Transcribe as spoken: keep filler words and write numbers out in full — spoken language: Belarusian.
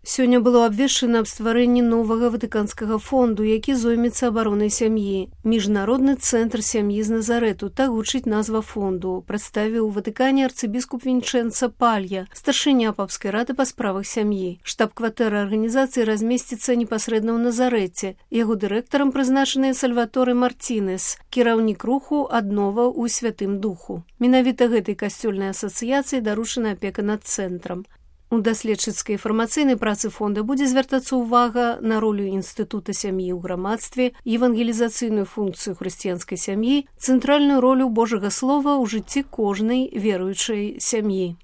Сёння было абвешчана аб стварэнні новага ватыканскага фонду, які зоймецца абаронай сям'і. Міжнародны цэнтр сям'і з Назарэту, так гучыць назва фонду, прадставіў у Ватыкане арцыбіскуп Вінчэнца Палья, старшыня папскай рады па справах сям'і. Штаб-кватэра арганізацыі размесціцца непасрэдна ў Назарэце. Яго дырэктарам прызначаны Сальваторе Мартінес, кіраўнік руху «Аднова ў Святым Духу». Менавіта гэтай касцёльнай асацыяцыі даручана апека над цэнтрам. У даследчыцкай інфармацыйнай працы фонда будзе звяртацца ўвага на ролю інстытута сям'і ў грамадстве, евангелізацыйную функцыю хрысціянскай сям'і, цэнтральную ролю Божага слова ў жыцці кожнай веруючай сям'і.